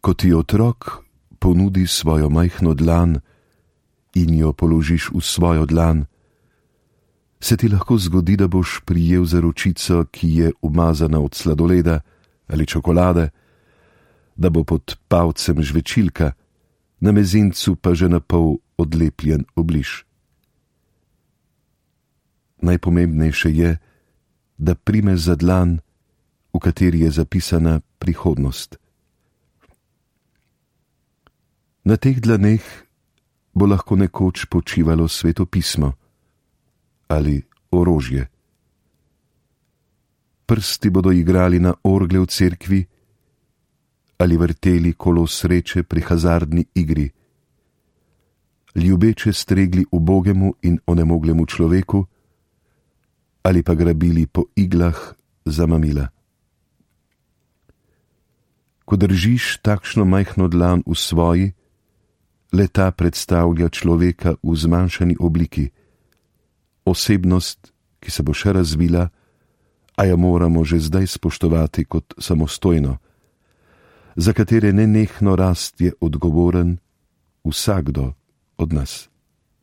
Ko ti otrok ponudi svojo majhno dlan in jo položiš v svojo dlan, se ti lahko zgodi, da boš prijel za ročico, ki je umazana od sladoleda ali čokolade, da bo pod palcem žvečilka, na mezincu pa že napol odlepljen obliž. Najpomembnejše je, da primeš za dlan, v kateri je zapisana prihodnost. Na teh dlaneh bo lahko nekoč počivalo Sveto pismo ali orožje. Prsti bodo igrali na orgle v cerkvi ali vrteli kolo sreče pri hazardni igri, ljubeče stregli ubogemu in onemoglemu človeku ali pa grabili po iglah za mamila. Ko držiš takšno majhno dlan v svoji, le-ta predstavlja človeka v zmanjšani obliki, osebnost, ki se bo še razvila, a jo moramo že zdaj spoštovati kot samostojno, za katere nenehno rast je odgovoren vsakdo od nas.